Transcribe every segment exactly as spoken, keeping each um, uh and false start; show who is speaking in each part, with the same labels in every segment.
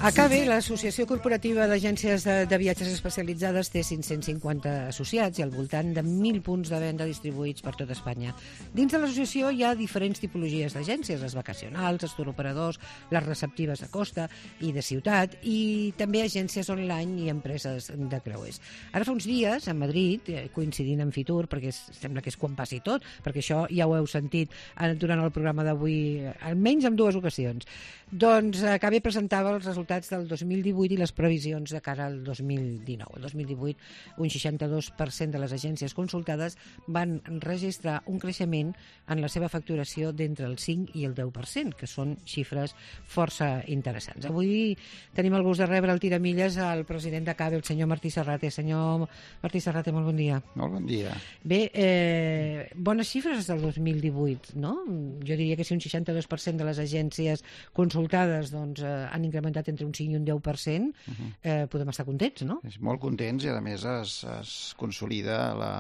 Speaker 1: A C A B, l'Associació Corporativa d'Agències de, de Viatges Especialitzades, té cinc-cents cinquanta associats i al voltant de mil punts de venda distribuïts per tot Espanya. Dins de l'associació hi ha diferents tipologies d'agències, les vacacionals, els touroperadors, les receptives de costa i de ciutat, i també agències online i empreses de creuers. Ara fa uns dies, a Madrid, coincidint amb Fitur, perquè sembla que és quan passi tot, perquè això ja ho heu sentit durant el programa d'avui, almenys en dues ocasions, doncs A C A B presentava els resultats del dos mil divuit i les previsions de cara al dos mil dinou. El dos mil divuit, un seixanta-dos per cent de les agències consultades van registrar un creixement en la seva facturació d'entre el cinc i el deu per cent, que són xifres força interessants. Avui tenim el gust de rebre al Tiramilles al president de A C A B, el senyor Martí Serrate. Senyor Martí Serrate, molt bon dia.
Speaker 2: Molt bon dia.
Speaker 1: Bé, eh, bones xifres del dos mil divuit, no? Jo diria que si un seixanta-dos per cent de les agències consultades doncs, eh, han incrementat entre un cinc i un deu per cent, uh-huh. eh, podem estar contents, no?
Speaker 2: És molt contents i, a més, es, es consolida la,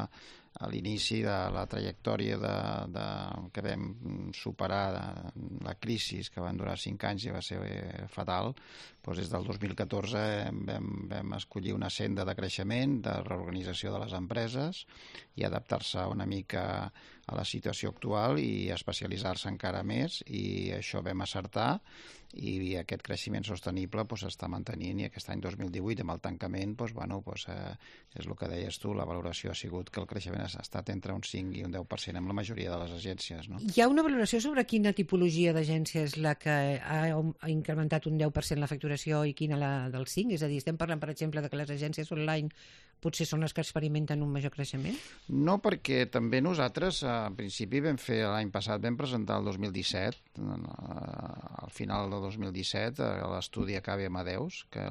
Speaker 2: a l'inici de la trajectòria de, de, que vam superar de, la crisi, que van durar cinc anys i va ser fatal. Doncs des del dos mil catorze vam, vam escollir una senda de creixement, de reorganització de les empreses i adaptar-se una mica a la situació actual i especialitzar-se encara més, i això vam acertar, i aquest creixement sostenible doncs, està mantenint, i aquest any dos mil divuit, amb el tancament, doncs, bueno, doncs, eh, és el que deies tu, la valoració ha sigut que el creixement ha estat entre un cinc i un deu per cent amb la majoria de les agències. No?
Speaker 1: Hi ha una valoració sobre quina tipologia d'agència és la que ha, ha incrementat un deu per cent la facturació i quina la del cinc? És a dir, estem parlant, per exemple, de que les agències online potser són les que experimenten un major creixement?
Speaker 2: No, perquè també nosaltres, en principi, vam fer l'any passat, vam presentar el dos mil disset, al final del dos mil disset, l'estudi A C A B Amadeus, que,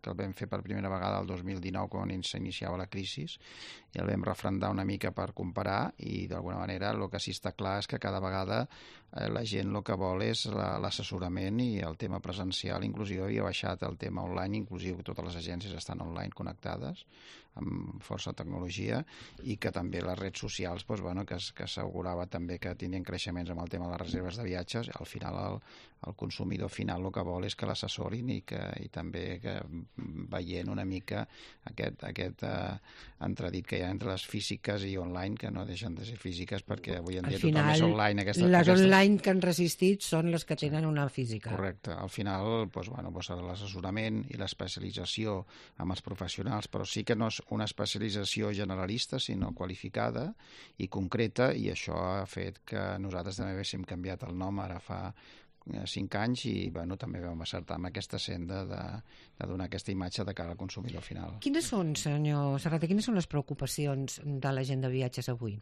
Speaker 2: que el vam fer per primera vegada el dos mil dinou, quan s'iniciava la crisi, i el vam refrendar una mica per comparar, i d'alguna manera el que sí està clar és que cada vegada eh, la gent el que vol és l'assessorament i el tema presencial. Inclusive havia baixat el tema online, inclusive totes les agències estan online connectades amb força tecnologia, i que també les redes socials, doncs, bueno, que, que assegurava també que tindrien creixements amb el tema de les reserves de viatges. Al final el, el consumidor final el que vol és que l'assessorin, i, que, i també que veient una mica aquest, aquest eh, entredit que hi ha entre les físiques i online, que no deixen de ser físiques, perquè avui en dia
Speaker 1: final,
Speaker 2: tothom és online. Aquesta,
Speaker 1: les
Speaker 2: aquestes...
Speaker 1: online que han resistit són les que tenen una física.
Speaker 2: Correcte. Al final, doncs, bueno, doncs, l'assessorament i l'especialització amb els professionals, però sí que no és una especialització generalista, sinó qualificada i concreta, i això ha fet que nosaltres també haguéssim canviat el nom ara fa cinc anys, i bueno, també vam acertar amb aquesta senda de, de donar aquesta imatge de cara al consumidor final.
Speaker 1: Quines són, senyor Serrate, quines són les preocupacions de la gent de viatges avui?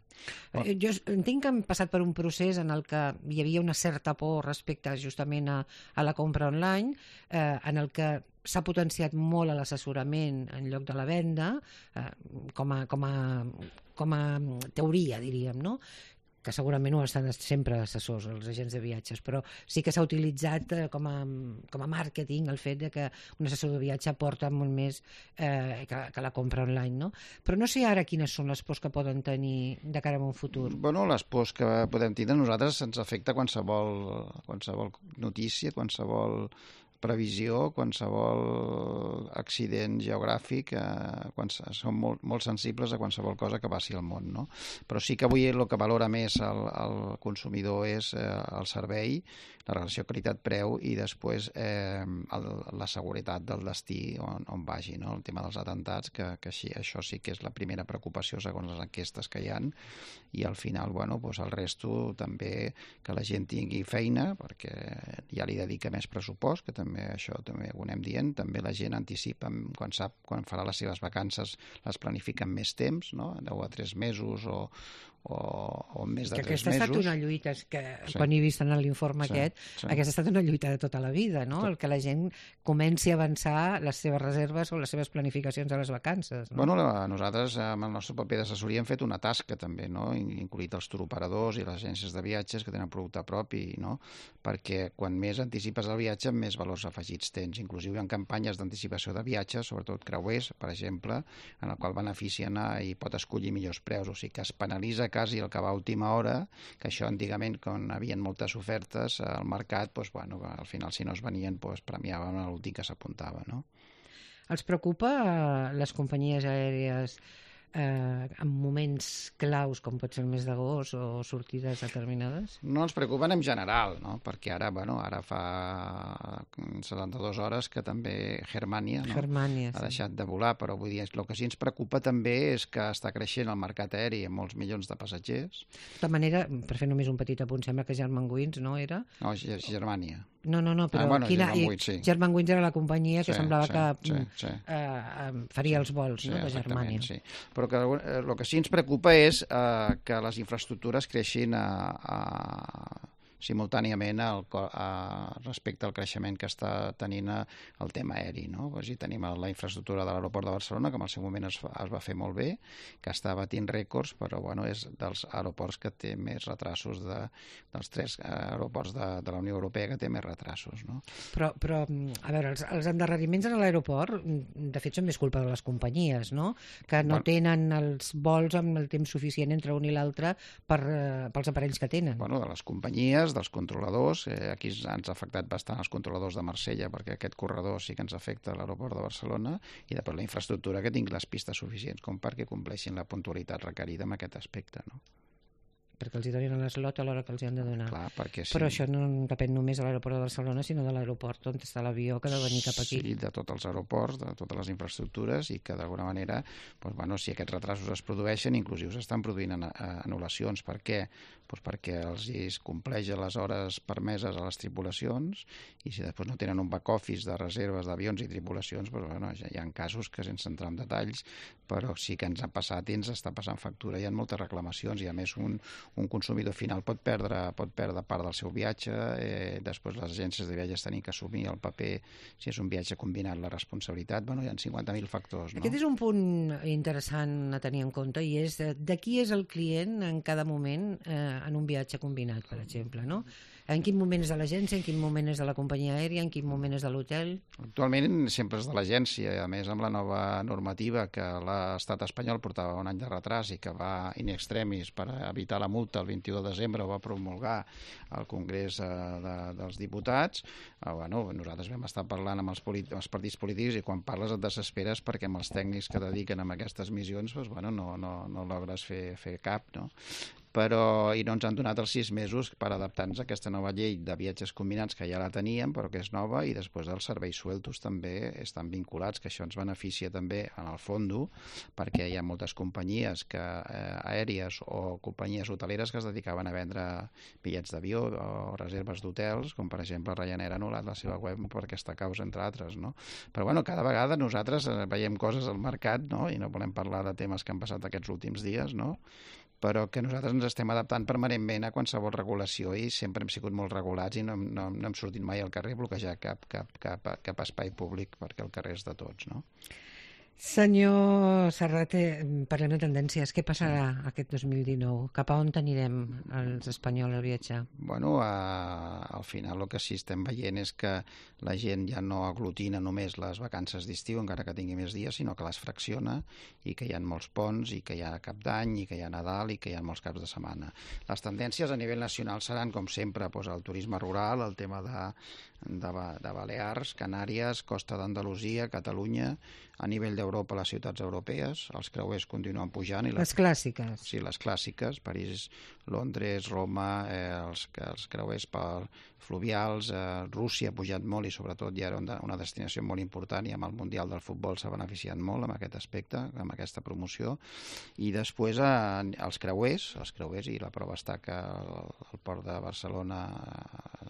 Speaker 1: Oh. Jo entenc que hem passat per un procés en el que hi havia una certa por respecte justament a, a la compra online, eh, en el que s'ha potenciat molt l'assessorament en lloc de la venda, eh, com, a, com, a, com a teoria, diríem, no? Que segurament ho estan sempre assessors, els agents de viatges, però sí que s'ha utilitzat eh, com, a, com a màrqueting el fet de que un assessor de viatge aporta molt més eh, que, que la compra online, no? Però no sé ara quines són les pors que poden tenir de cara a un futur.
Speaker 2: Bueno, les pors que podem tenir, nosaltres ens afecta qualsevol, qualsevol notícia, qualsevol previsió, qualsevol accident geogràfic, eh, quan som molt, molt sensibles a qualsevol cosa que passi al món, no? Però sí que avui el que valora més el, el consumidor és eh, el servei, la relació qualitat-preu, i després eh, el, la seguretat del destí on, on vagi, no? El tema dels atentats, que, que així, això sí que és la primera preocupació segons les enquestes que hi ha, i al final, bueno, doncs el resto també, que la gent tingui feina, perquè ja li dedica més pressupost, que també també això també ho anem dient, també la gent anticipa, quan sap quan farà les seves vacances, les planifica amb més temps, no? deu a tres mesos o, o, o més de
Speaker 1: que
Speaker 2: tres mesos.
Speaker 1: Aquesta ha estat una lluita, que sí. Quan he vist en l'informe sí, aquest, sí. Aquesta ha estat una lluita de tota la vida, no? Tot. El que la gent comenci a avançar les seves reserves o les seves planificacions a les vacances. No?
Speaker 2: Bueno, nosaltres amb el nostre paper d'assessoria hem fet una tasca també, no? Incluït els touroperadors i les agències de viatges que tenen producte propi, no? Perquè quan més anticipes el viatge, més valors afegits tens. Inclusive hi ha campanyes d'anticipació de viatges, sobretot creuers, per exemple, en el qual beneficien a, i pot escollir millors preus, o sigui que es penalitza cas i el que va a última hora, que això antigament, quan hi havia moltes ofertes al mercat, doncs, bueno, al final si no es venien doncs, premiaven l'últim que s'apuntava, no?
Speaker 1: Els preocupa eh, les companyies aèries eh, en moments claus, com pot ser el mes d'agost o sortides determinades?
Speaker 2: No ens preocupen en general, no? Perquè ara, bueno, ara fa setanta-dues hores que també Germania, no?
Speaker 1: Germania,
Speaker 2: ha
Speaker 1: sí.
Speaker 2: deixat de volar, però vull dir, el que sí ens preocupa també és que està creixent el mercat aeri amb molts milions de passatgers.
Speaker 1: De tota manera, per fer només un petit apunt, sembla que Germanwings, no era?
Speaker 2: No, és Germania.
Speaker 1: No, no, no, però
Speaker 2: Ah, bueno,
Speaker 1: quina...
Speaker 2: Germanwings, sí.
Speaker 1: Germanwings era la companyia que
Speaker 2: Sí,
Speaker 1: semblava
Speaker 2: sí,
Speaker 1: que
Speaker 2: sí, sí.
Speaker 1: Eh, faria els vols,
Speaker 2: Sí,
Speaker 1: no, de
Speaker 2: exactament,
Speaker 1: Germania.
Speaker 2: sí. Però que, eh, el que sí ens preocupa és eh, que les infraestructures creixin a, a, simultàniament al, a, respecte al creixement que està tenint el tema aeri, no? Pues, tenim la infraestructura de l'aeroport de Barcelona, que en el seu moment es, es va fer molt bé, que està batint rècords, però bueno, és dels aeroports que té més retrasos, de, dels tres aeroports de, de la Unió Europea que té més retrasos, no?
Speaker 1: Però, però a veure, els, els endarreriments a l'aeroport, de fet, són més culpa de les companyies, no? Que no bueno, tenen els vols amb el temps suficient entre un i l'altre per, eh, pels aparells que tenen.
Speaker 2: Bueno, de les companyies, dels controladors, eh, aquí ens ha afectat bastant els controladors de Marsella, perquè aquest corredor sí que ens afecta a l'aeroport de Barcelona, i després la infraestructura que tingui les pistes suficients com perquè compleixin la puntualitat requerida en aquest aspecte, no?
Speaker 1: Perquè els hi donin l'eslot a l'hora que els hi han de donar.
Speaker 2: Clar, perquè sí.
Speaker 1: Però això no depèn només de l'aeroport de Barcelona, sinó de l'aeroport on està l'avió que ha de venir cap aquí.
Speaker 2: Sí, de tots els aeroports, de totes les infraestructures, i que d'alguna manera, doncs, bueno, si aquests retrasos es produeixen, inclusiu s'estan produint anul·lacions. Per què? Doncs perquè els es compleix les hores permeses a les tripulacions, i si després no tenen un back office de reserves d'avions i tripulacions, doncs, bueno, ja hi ha casos que, sense entrar en detalls, però sí que ens ha passat i ens està passant factura. Hi ha moltes reclamacions, i a més un un consumidor final pot perdre, pot perdre part del seu viatge, eh, després les agències de viatges tenen que assumir el paper, si és un viatge combinat, la responsabilitat. Bueno, hi ha cinquanta mil factors, no?
Speaker 1: Aquest és un punt interessant a tenir en compte, i és de qui és el client en cada moment eh, en un viatge combinat, per exemple, no? En quin moment és de l'agència, en quin moment és de la companyia aèria, en quin moment és de l'hotel?
Speaker 2: Actualment sempre és de l'agència, a més amb la nova normativa que l'estat espanyol portava un any de retras i que va in extremis per evitar la multa el vint-i-u de desembre, ho va promulgar al Congrés eh, de, dels Diputats. Eh, bueno, nosaltres vam estar parlant amb els, amb els partits polítics, i quan parles et desesperes perquè amb els tècnics que dediquen a aquestes missions, doncs, bueno, no, no, no logres fer, fer cap, no? Però, i no ens han donat els sis mesos per adaptar-nos a aquesta nova llei de viatges combinats, que ja la teníem, però que és nova, i després els serveis sueltos també estan vinculats, que això ens beneficia també en el fondo, perquè hi ha moltes companyies que, eh, aèries o companyies hoteleres que es dedicaven a vendre bitllets d'avió o reserves d'hotels, com per exemple Ryanair ha anul·lat la seva web per aquesta causa, entre altres, no? Però bueno, cada vegada nosaltres veiem coses al mercat, no? I no volem parlar de temes que han passat aquests últims dies, no? Però que nosaltres ens estem adaptant permanentment a qualsevol regulació, i sempre hem sigut molt regulats i no, no, no hem sortit mai al carrer a bloquejar cap, cap, cap, cap espai públic, perquè el carrer és de tots, no?
Speaker 1: Senyor Serrate, parlem de tendències. Què passarà aquest dos mil dinou? Cap a on anirem els espanyols a viatjar?
Speaker 2: Bueno, a, al final el que sí estem veient és que la gent ja no aglutina només les vacances d'estiu, encara que tingui més dies, sinó que les fracciona, i que hi ha molts ponts, i que hi ha Cap d'Any, i que hi ha Nadal, i que hi ha molts caps de setmana. Les tendències a nivell nacional seran, com sempre, doncs, el turisme rural, el tema de, de, de Balears, Canàries, Costa d'Andalusia, Catalunya, a nivell d'Europa, les ciutats europees, els creuers continuen pujant. I
Speaker 1: les, les clàssiques.
Speaker 2: Sí, les clàssiques, París, Londres, Roma, eh, els, els creuers per fluvials, eh, Rússia ha pujat molt, i sobretot ja era una, una destinació molt important, i amb el Mundial del Futbol s'ha beneficiat molt amb aquest aspecte, amb aquesta promoció. I després eh, els creuers, els creuers, i la prova està que el, el port de Barcelona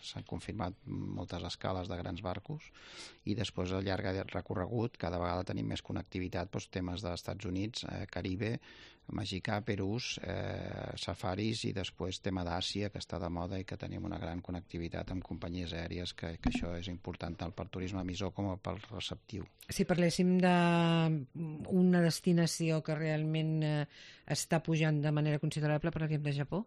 Speaker 2: s'han confirmat moltes escales de grans barcos, i després al llarg del recorregut cada vegada tenim més connectivitat, doncs, temes dels Estats Units, eh, Caribe, Mexicà, Perús, eh, safaris, i després tema d'Àsia, que està de moda, i que tenim una gran connectivitat amb companyies aèries, que, que això és important tant pel turisme emissor com pel receptiu.
Speaker 1: Si parléssim d'una destinació que realment eh, està pujant de manera considerable, parlaríem de Japó?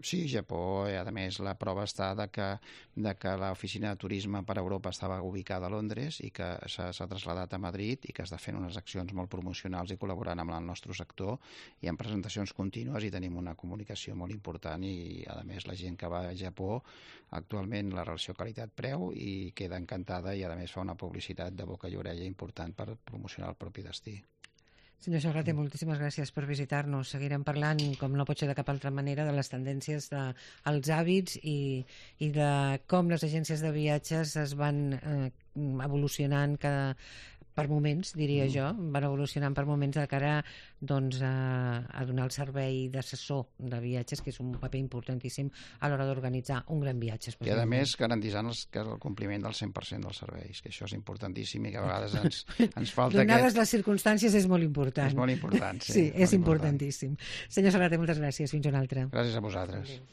Speaker 2: Sí, Japó, i a més la prova està de que, de que l'oficina de turisme per a Europa estava ubicada a Londres i que s'ha traslladat a Madrid i que està fent unes accions molt promocionals i col·laborant amb el nostre sector i en presentacions contínues i tenim una comunicació molt important i a més la gent que va a Japó actualment la relació qualitat-preu i queda encantada i a més fa una publicitat de boca i orella important per promocionar el propi destí.
Speaker 1: Senyor Serrater, moltíssimes gràcies per visitar-nos. Seguirem parlant, com no pot ser de cap altra manera, de les tendències dels hàbits i, i de com les agències de viatges es van eh, evolucionant cada, per moments, diria mm. jo, van evolucionant per moments de cara doncs, a, a donar el servei d'assessor de viatges, que és un paper importantíssim a l'hora d'organitzar un gran viatge.
Speaker 2: I a més garantitzant els, que el compliment del cent per cent dels serveis, que això és importantíssim i que a vegades ens, ens falta...
Speaker 1: Donades
Speaker 2: que...
Speaker 1: les circumstàncies és molt important.
Speaker 2: És molt important, sí.
Speaker 1: Sí, és
Speaker 2: importantíssim.
Speaker 1: importantíssim. Senyor Serrater, moltes gràcies. Fins una altra.
Speaker 2: Gràcies a vosaltres. Adéu.